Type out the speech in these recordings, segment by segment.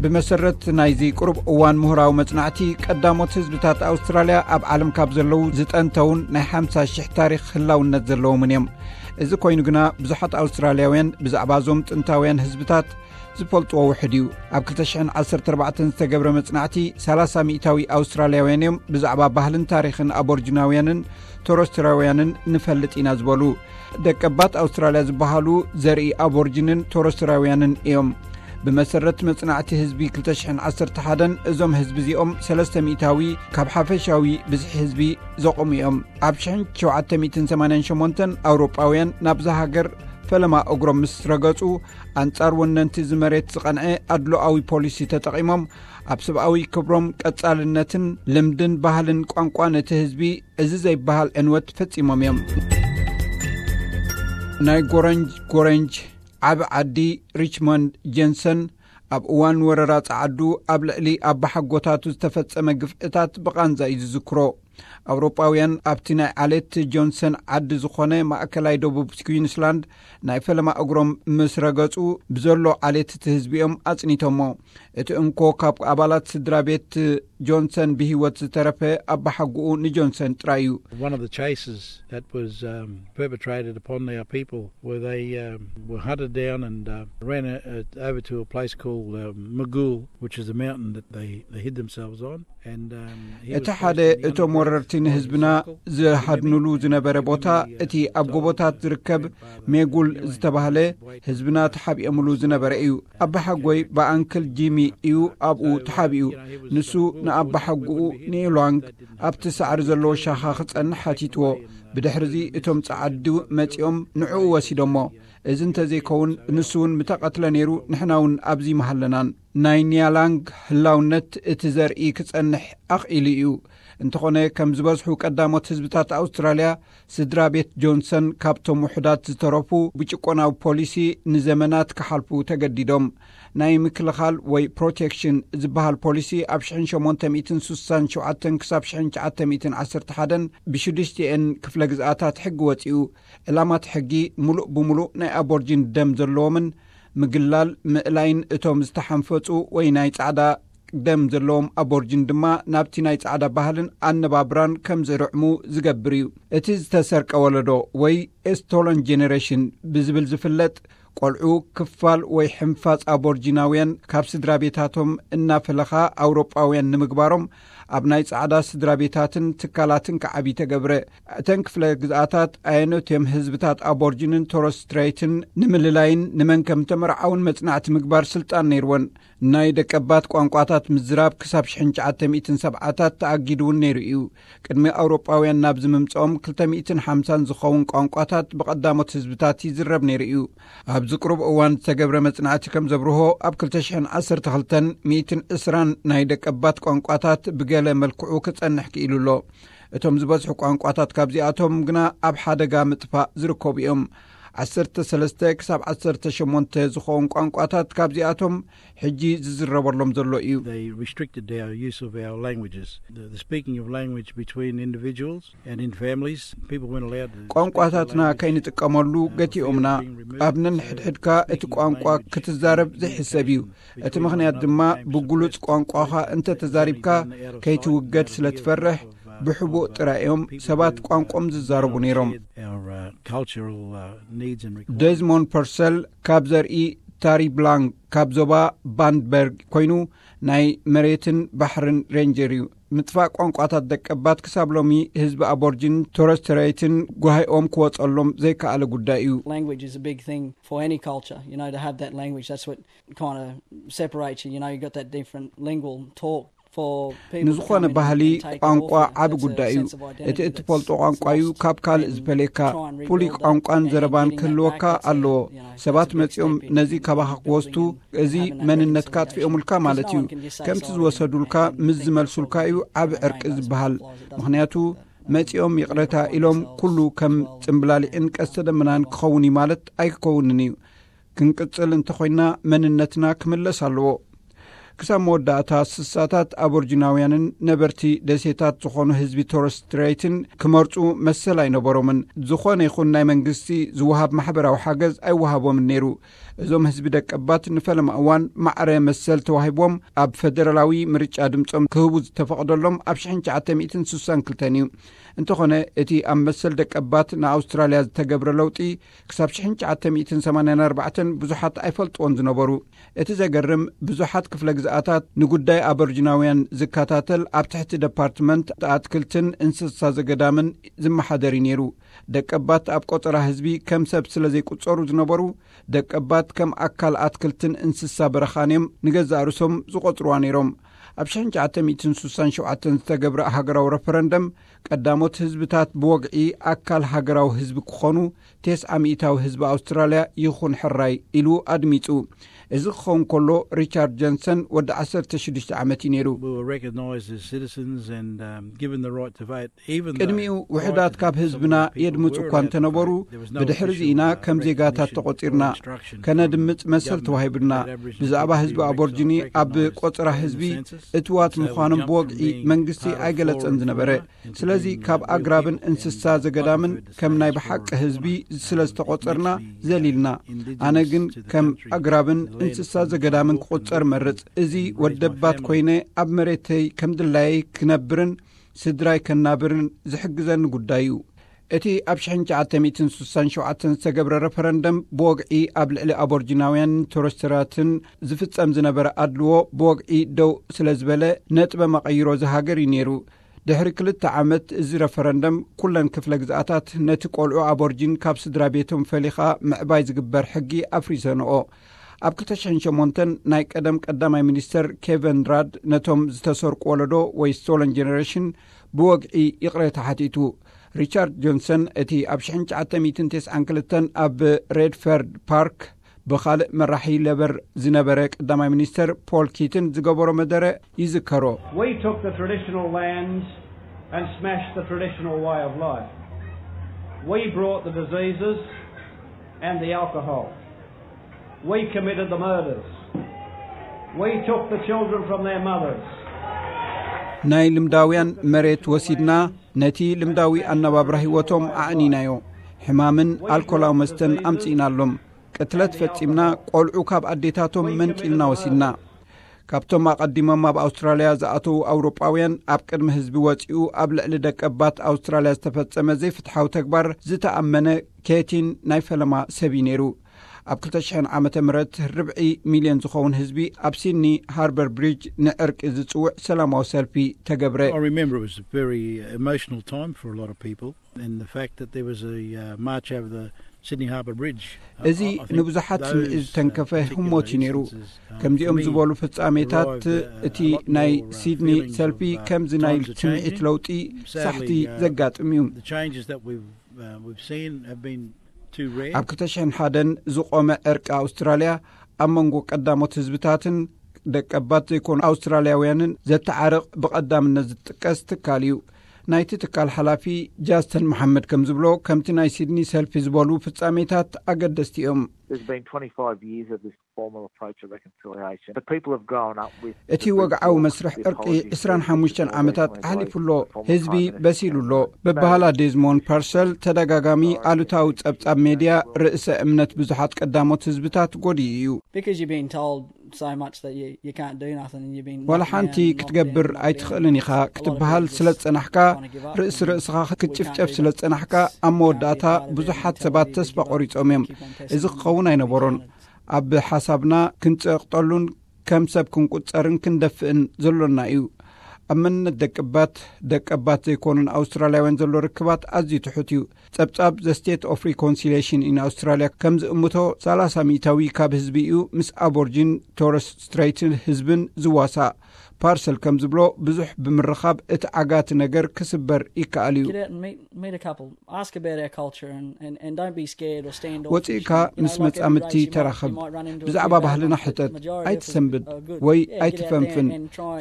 ብመሰረት ናይዚ ቅሩብ እዋን ምሁራዊ መጽናዕቲ፣ ቀዳሞት ህዝብታት ኣውስትራልያ ኣብ ዓለም ካብ ዘለዉ ዝጠንተውን ናይ ሓምሳ ሽሕ ታሪኽ ህላውነት ዘለዎምን እዮም። እዚ ኮይኑ ግና፣ ብዙሓት ኣውስትራልያውያን ብዛዕባ እዞም ጥንታውያን ህዝብታት ዝፈልጥዎ ውሕድ እዩ። ኣብ ክልተ ሽሕን ዓሰርተ ኣርባዕተን ዝተገብረ መጽናዕቲ፣ ሰላሳ ሚእታዊ ኣውስትራልያውያን እዮም ብዛዕባ ባህልን ታሪኽን ኣቦርጅናውያንን ቶሮስትራውያንን ንፈልጥ ኢና ዝበሉ። ደቀባት ኣውስትራልያ ዝበሃሉ ዘርኢ ኣቦርጅንን ቶሮስትራውያንን እዮም። ብመሰረት መጽናዕቲ ህዝቢ ክልተ ሽሕን ዓሰርተ ሓደን፣ እዞም ህዝቢ እዚኦም ሰለስተ ሚእታዊ ካብ ሓፈሻዊ ብዝሒ ህዝቢ ዘቑሙ እዮም። ኣብ ሽሕን ሸውዓተ ሚእትን ሰማንያን ሸሞንተን፣ ኣውሮጳውያን ናብዛ ሃገር ፈለማ እግሮም ምስ ረገጹ፣ ኣንጻር ወነንቲ እዚ መሬት ዝቐንዐ ኣድሎኣዊ ፖሊሲ ተጠቒሞም፣ ኣብ ሰብኣዊ ክብሮም፣ ቀጻልነትን ልምድን ባህልን ቋንቋን እቲ ህዝቢ እዚ ዘይበሃል ዕንወት ፈጺሞም እዮም። ናይ ጎረንጅ ጎረንጅ ዓቢ ዓዲ ሪችሞንድ ጀንሰን፣ ኣብ እዋን ወረራ ጸዓዱ ኣብ ልዕሊ ኣባሓጎታቱ ዝተፈጸመ ግፍዕታት ብቓንዛ እዩ ዝዝክሮ። ኣውሮጳውያን ኣብቲ ናይ ዓሌት ጆንሰን ዓዲ ዝኾነ ማእከላይ ደቡብ ኩዊንስላንድ ናይ ፈለማ እግሮም ምስ ረገጹ፣ ብዘሎ ዓሌት እቲ ህዝቢ እዮም ኣጽኒቶሞ። እቲ እንኮ ካብ ኣባላት ስድራ ቤት ጆንሰን ብህይወት ዝተረፈ፣ ኣባሓጎኡ ንጆንሰን ጥራይ እዩ። One of the chases that was um, perpetrated upon our people, where they um, were hunted down and uh, ran uh, over to a place called uh, Magul, which is a mountain that they, they hid themselves on. And um, he was እቲ ሓደ placed in the እቶም undergrowth ወረርቲ by his ንህዝብና uncle. ዝሃድንሉ ዝነበረ ቦታ፣ እቲ ኣብ ጎቦታት ዝርከብ ሜጉል ዝተባህለ፣ ህዝብና ተሓቢኦምሉ ዝነበረ እዩ። ኣባሓጎይ ብኣንክል ጂሚ እዩ ኣብኡ ተሓቢኡ። ንሱ ንኣባሓጎኡ ንኤልዋንግ ኣብቲ ሳዕሪ ዘለዎ ሻኻ ክጸንሕ ሓቲትዎ። ብድሕርዚ እቶም ጸዓዱ መጺኦም ንዕኡ ወሲዶሞ። እዚ እንተዘይከውን፣ ንሱ እውን ምተቐትለ ነይሩ፣ ንሕና እውን ኣብዚ ምሃለናን። ናይ ኒያላንግ ህላውነት እቲ ዘርኢ ክጸንሕ ኣኽኢሉ እዩ። እንተኾነ፣ ከም ዝበዝሑ ቀዳሞት ህዝብታት ኣውስትራልያ፣ ስድራ ቤት ጆንሰን ካብቶም ውሑዳት ዝተረፉ፣ ብጭቆናዊ ፖሊሲ ንዘመናት ክሓልፉ ተገዲዶም። ናይ ምክልኻል ወይ ፕሮቴክሽን ዝበሃል ፖሊሲ፣ ኣብ ሽሕን ሸሞንተ ሚእትን ስሳን ሸውዓተን ክሳብ ሽሕን ትሽዓተ ሚእትን ዓሰርተ ሓደን ብሽዱሽቲኤን ክፍለ ግዝኣታት ሕጊ ወጺኡ። ዕላማት ሕጊ፣ ምሉእ ብምሉእ ናይ ኣቦርጂን ደም ዘለዎምን፣ ምግላል፣ ምእላይን እቶም ዝተሓንፈጹ ወይ ናይ ጻዕዳ ደም ዘለዎም ኣቦርጂን ድማ፣ ናብቲ ናይ ጻዕዳ ባህልን ኣነባብራን ከም ዝርዕሙ ዝገብር እዩ። እቲ ዝተሰርቀ ወለዶ ወይ ስቶለን ጀነሬሽን ብዝብል ዝፍለጥ፣ ቆልዑ ክፋል ወይ ሕንፋጽ ኣቦርጂናውያን ካብ ስድራ ቤታቶም እናፈለኻ ኣውሮጳውያን ንምግባሮም፣ ኣብ ናይ ጻዕዳ ስድራ ቤታትን ትካላትን ክዓቢ ተገብረ። እተን ክፍለ ግዝኣታት ኣየኖት እዮም ህዝብታት ኣቦርጂንን ቶረስ ስትሬትን ንምልላይን ንመን ከም ተመርዓውን መጽናዕቲ ምግባር ስልጣን ነይርወን። ናይ ደቀባት ቋንቋታት ምዝራብ ክሳብ ሽሕን ትሽዓተ ሚእትን ሰብዓታት ተኣጊዱ እውን ነይሩ እዩ። ቅድሚ ኣውሮጳውያን ናብዚ ምምጽኦም ክልተ ሚእትን ሓምሳን ዝኸውን ቋንቋታት ብቐዳሞት ህዝብታት ይዝረብ ነይሩ እዩ። ኣብዚ ቅሩብ እዋን ዝተገብረ መጽናዕቲ ከም ዘብርሆ፣ ኣብ ክልተ ሽሕን ዓሰርተ ክልተን ሚእትን ዕስራን ናይ ደቀባት ቋንቋታት ብገለ መልክዑ ክጸንሕ ክኢሉ ኣሎ። እቶም ዝበዝሑ ቋንቋታት ካብዚኣቶም ግና ኣብ ሓደጋ ምጥፋእ ዝርከቡ እዮም። ዓሰርተ ሰለስተ ክሳብ ዓሰርተ ሸሞንተ ዝኸውን ቋንቋታት ካብዚኣቶም ሕጂ ዝዝረበሎም ዘሎ እዩ። They restricted our use of our languages. The, the speaking of language between individuals and in families, people weren't allowed to speak the ቋንቋታትና language. ከይንጥቀመሉ ገቲኦምና። ኣብ ነንሕድሕድካ እቲ ቋንቋ ክትዛረብ ዘይሕሰብ እዩ። እቲ ምኽንያት ድማ፣ ብግሉጽ ቋንቋኻ እንተ ተዛሪብካ ከይትውገድ ስለ ትፈርሕ፣ ብሕቡእ ጥራይ እዮም ሰባት ቋንቋም ዝዛረቡ ነይሮም። Our uh, cultural uh, needs and requirements. ደዝሞንድ ፐርሰል ካብ ዘርኢ ታሪብላንግ ካብ ዞባ ባንድበርግ ኮይኑ፣ ናይ መሬትን ባሕርን ሬንጀር እዩ። ምጥፋእ ቋንቋታት ደቀባት ክሳብ ሎሚ ህዝቢ ኣቦርጂን ቶረስ ስትሬትን ጓሂኦም ክወጸሎም ዘይከኣለ ጉዳይ እዩ። Language is a big thing for any culture, you know, to have that language. That's what kind of separates you, you know, you've got that different lingual talk. For people to ንዝኾነ come in ባህሊ and take it ቋንቋ off you, ዓቢ that's a ጉዳይ እዩ። sense of identity እቲ that's- እትፈልጦ that's ቋንቋ እዩ lost ካብ ካልእ and ዝፈለየካ። try and ፍሉይ rebuild that ቋንቋን and ዘረባን getting that ክህልወካ back, that's a- ኣለዎ። you know, that's ሰባት a big መጺኦም step in- ነዚ in ካባኻ building ክወስዱ፣ and እዚ having that መንነትካ reconciliation. ኣጥፊኦምልካ ማለት እዩ። No one can just say ከምቲ sorry ዝወሰዱልካ and- and ምስ think ዝመልሱልካ እዩ it's all ዓቢ right, ዕርቂ that's ዝበሃል። all it doesn't ምኽንያቱ work like that. መጺኦም ይቕረታ ኢሎም ኩሉ ከም ጽምብላሊዕን ቀስተ ደመናን ክኸውን እዩ ማለት ኣይክከውንን እዩ። ክንቅጽል እንተኾይና፣ መንነትና ክምለስ ኣለዎ። ክሳብ መወዳእታ ስሳታት ኣቦርጂናውያንን ነበርቲ ደሴታት ዝኾኑ ህዝቢ ቶረስ ስትሬትን ክመርጹ መሰል ኣይነበሮምን። ዝኾነ ይኹን ናይ መንግስቲ ዝወሃብ ማሕበራዊ ሓገዝ ኣይወሃቦምን ነይሩ። እዞም ህዝቢ ደቀባት ንፈለማ እዋን ማዕረ መሰል ተዋሂቦም ኣብ ፈደራላዊ ምርጫ ድምጾም ክህቡ ዝተፈቐደሎም ኣብ ሽሕን ትሽዓተ ሚእትን ስሳን ክልተን እዩ። እንተኾነ እቲ ኣብ መሰል ደቀባት ንኣውስትራልያ ዝተገብረ ለውጢ ክሳብ ሽሕን ትሽዓተ ሚእትን ሰማንያን ኣርባዕተን ብዙሓት ኣይፈልጥዎን ዝነበሩ። እቲ ዘገርም ብዙሓት ክፍለ ግዝኣታት ንጉዳይ ኣበርጅናውያን ዝከታተል ኣብ ትሕቲ ደፓርትመንት ኣትክልትን እንስሳ ዘገዳምን ዝመሓደር እዩ ነይሩ። ደቀባት ኣብ ቆጸራ ህዝቢ ከም ሰብ ስለ ዘይቁጸሩ ዝነበሩ፣ ደቀባት ከም ኣካል ኣትክልትን እንስሳ በረኻን እዮም ንገዛእ ርእሶም ዝቆጽርዋ ነይሮም። ኣብ ሽሕን ትሽዓተ ሚእትን ስሳን ሸውዓተን ዝተገብረ ሃገራዊ ረፈረንደም ቀዳሞት ህዝብታት ብወግዒ ኣካል ሃገራዊ ህዝቢ ክኾኑ፣ ተስዓ ሚእታዊ ህዝቢ ኣውስትራልያ ይኹን ሕራይ ኢሉ ኣድሚጹ። እዚ ክኸውን ከሎ ሪቻርድ ጆንሰን ወዲ ዓሰርተ ሽዱሽተ ዓመት እዩ ነይሩ። We were recognised as citizens and, um, given the right to vote. Even though ቅድሚኡ ውሑዳት ካብ ህዝብና የድምጹ እኳ እንተነበሩ፣ ብድሕሪ እዚ ኢና ከም ዜጋታት ተቖጺርና። ከነድምጽ መሰል ተዋሂብና። ብዛዕባ ህዝቢ ኣቦርጂኒ ኣብ ቆጸራ ህዝቢ እትዋት ምዃኖም ብወግዒ መንግስቲ ኣይገለጸን ዝነበረ። ስለዚ ካብ ኣግራብን እንስሳ ዘገዳምን ከም ናይ ብሓቂ ህዝቢ ስለ ዝተቖጸርና ዘሊልና። ኣነ ግን ከም ኣግራብን እንስሳ ዘገዳምን ክቑጸር መርጽ። እዚ ወደባት ኮይነ ኣብ መሬተይ ከም ድላየይ ክነብርን ስድራይ ከናብርን ዝሕግዘኒ ጉዳይ እዩ። እቲ ኣብ ሽሕን ትሽዓተ ሚእትን ስሳን ሸውዓተን ዝተገብረ ረፈረንደም ብወግዒ ኣብ ልዕሊ ኣቦርጂናውያን ቶረስትራትን ዝፍጸም ዝነበረ ኣድልዎ ብወግዒ ደው ስለ ዝበለ ነጥበ መቐይሮ ዝሃገር እዩ ነይሩ። ድሕሪ ክልተ ዓመት እዚ ረፈረንደም ኩለን ክፍለ ግዝኣታት ነቲ ቆልዑ ኣቦርጂን ካብ ስድራ ቤቶም ፈሊኻ ምዕባይ ዝግበር ሕጊ ኣፍሪሰንኦ። ኣብ ክልተ ሽሕን ሸሞንተን ናይ ቀደም ቀዳማይ ሚኒስተር ኬቨን ራድ ነቶም ዝተሰርቁ ወለዶ ወይ ስቶለን ጀነሬሽን ብወግዒ ይቕሬታ ሓቲቱ። ሪቻርድ ጆንሰን እቲ ኣብ ሽሕን ትሽዓተ ሚእትን ተስዓን ክልተን ኣብ ሬድፈርድ ፓርክ ብኻልእ መራሒ ሌበር ዝነበረ ቀዳማይ ሚኒስተር ፖል ኪትን ዝገበሮ መደረ ይዝከሮ። We took the traditional lands and smashed the traditional way of life. We brought the diseases and the alcohol. We committed the murders. We took the children from their mothers. ናይ ልምዳውያን መሬት ወሲድና፣ ነቲ ልምዳዊ ኣነባብራ ህይወቶም ኣዕኒናዮ። ሕማምን ኣልኮላዊ መስተን ኣምጺእናሎም። ቅትለት ፈጺምና፣ ቆልዑ ካብ ኣዴታቶም መንጢልና ወሲድና። ካብቶም ኣቐዲሞም ኣብ ኣውስትራልያ ዝኣተዉ ኣውሮጳውያን ኣብ ቅድሚ ህዝቢ ወጺኡ ኣብ ልዕሊ ደቀባት ኣውስትራልያ ዝተፈጸመ ዘይፍትሓዊ ተግባር ዝተኣመነ ኬቲን ናይ ፈለማ ሰብ እዩ ነይሩ። ኣብ ክልተ ሽሕን ዓመተ ምህረት ርብዒ ሚልዮን ዝኸውን ህዝቢ ኣብ ሲድኒ ሃርበር ብሪጅ ንዕርቂ ዝጽውዕ ሰላማዊ ሰልፊ ተገብረ። I remember it was a very emotional time for a lot of people, and the fact that there was a uh, march over the Sydney Harbour Bridge. እዚ ንብዙሓት ስምዒት ዝተንከፈ ህሞት እዩ ነይሩ። ከምዚኦም ዝበሉ ፍጻሜታት እቲ ናይ ሲድኒ ሰልፊ ከምዚ ናይ ስምዒት ለውጢ ሳሕቲ ዘጋጥም እዩ። The changes that we've uh, we've seen have been too rare. ኣብ ክልተ ሽሕን ሓደን ዝቖመ ዕርቂ ኣውስትራልያ ኣብ መንጎ ቀዳሞት ህዝብታትን ደቀባት ዘይኮኑ ኣውስትራልያውያንን ዘተዓርቕ ብቐዳምነት ዝጥቀስ ትካል እዩ። ናይቲ ትካል ሓላፊ ጃስተን መሓመድ ከም ዝብሎ፣ ከምቲ ናይ ሲድኒ ሰልፊ ዝበሉ ፍጻሜታት ኣገደስቲ እዮም። There's been twenty-five years of this formal approach to reconciliation. The people have grown up with እቲ ወግዓዊ መስርሕ ዕርቂ ዕስራን ሓሙሽተን ዓመታት ኣሕሊፉ ኣሎ። ህዝቢ በሲሉ ኣሎ። ብበሃላ ዴዝሞንድ ፐርሰል ተደጋጋሚ ኣሉታዊ ጸብጻብ ሜድያ ርእሰ እምነት ብዙሓት ቀዳሞት ህዝብታት ጎዲኡ እዩ። Because you're being told so much that you, you can't do nothing and you've been ዋላ ሓንቲ ክትገብር ኣይትኽእልን ኢኻ ክትበሃል ስለ ዝጸናሕካ፣ ርእሲ ርእስኻ ክትጭፍጨፍ ስለ ዝጸናሕካ፣ ኣብ መወዳእታ ብዙሓት ሰባት ተስፋ ቆሪጾም እዮም። እዚ ክኸውን ኣይነበሮን። ኣብ ሓሳብና ክንጸቕጠሉን ከም ሰብ ክንቁጸርን ክንደፍእን ዘሎና እዩ። ኣብ መንነት ደቀባት፣ ደቀባት ዘይኮኑን ኣውስትራልያውያን ዘሎ ርክባት ኣዝዩ ትሑት እዩ። ጸብጻብ The State of Reconciliation in Australia ከም ዝእምቶ፣ ሰላሳ ሚእታዊ ካብ ህዝቢ እዩ ምስ ኣቦርጂን ቶረስ ስትሬትን ህዝብን ዝዋሳእ። ፓርሰል ከም ዝብሎ፣ ብዙሕ ብምርኻብ እቲ ዓጋቲ ነገር ክስበር ይከኣል እዩ። Get out and meet, meet a couple. Ask about our culture and, and, and don't be scared or stand off. ወፂእካ ምስ መፃምድቲ ተራኸብ። ብዛዕባ ባህልና ሕተት። ኣይትሰንብድ ወይ ኣይትፈንፍን።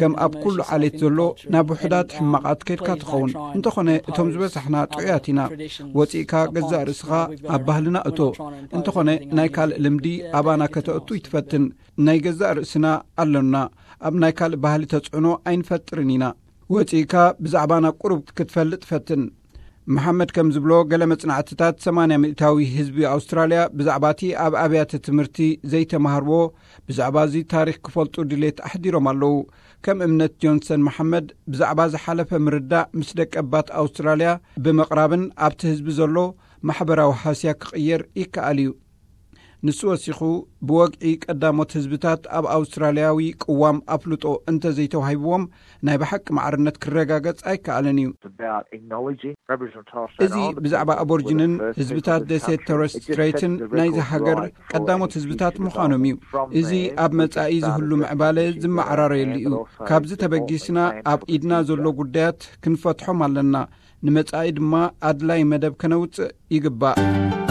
ከም ኣብ ኩሉ ዓሌት ዘሎ ናብ ውሑዳት ሕማቓት ከድካ ትኸውን። እንተኾነ እቶም ዝበዛሕና ጥዑያት ኢና። ወፂእካ ገዛእ ርእስኻ ኣብ ባህልና እቶ። እንተኾነ ናይ ካልእ ልምዲ ኣባና ከተእቱ ይትፈትን። ናይ ገዛእ ርእስና ኣሎና። ኣብ ናይ ካልእ ባህሊ ተጽዕኖ ኣይንፈጥርን ኢና። ወጺእካ ብዛዕባና ቁሩብ ክትፈልጥ ፈትን። መሓመድ ከም ዝብሎ፣ ገለ መጽናዕትታት ሰማንያ ሚእታዊ ህዝቢ ኣውስትራልያ ብዛዕባ እቲ ኣብ ኣብያተ ትምህርቲ ዘይተማህርዎ፣ ብዛዕባ እዚ ታሪኽ ክፈልጡ ድሌት ኣሕዲሮም ኣለዉ። ከም እምነት ጆንሰን መሓመድ፣ ብዛዕባ ዝሓለፈ ምርዳእ ምስ ደቀባት ኣውስትራልያ ብምቕራብን ኣብቲ ህዝቢ ዘሎ ማሕበራዊ ሃስያ ክቕየር ይከኣል እዩ። ንሱ ወሲኹ፣ ብወግዒ ቀዳሞት ህዝብታት ኣብ ኣውስትራልያዊ ቅዋም ኣፍልጦ እንተዘይተዋሂብዎም፣ ናይ ብሓቂ ማዕርነት ክረጋገጽ ኣይከኣልን እዩ። እዚ ብዛዕባ ኣቦርጅንን ህዝብታት ደሴት ቶረስ ስትሬትን ናይዚ ሃገር ቀዳሞት ህዝብታት ምዃኖም እዩ። እዚ ኣብ መጻኢ ዝህሉ ምዕባለ ዝመዓራረየሉ እዩ። ካብዚ ተበጊስና ኣብ ኢድና ዘሎ ጉዳያት ክንፈትሖም ኣለና። ንመጻኢ ድማ ኣድላይ መደብ ከነውጽእ ይግባእ።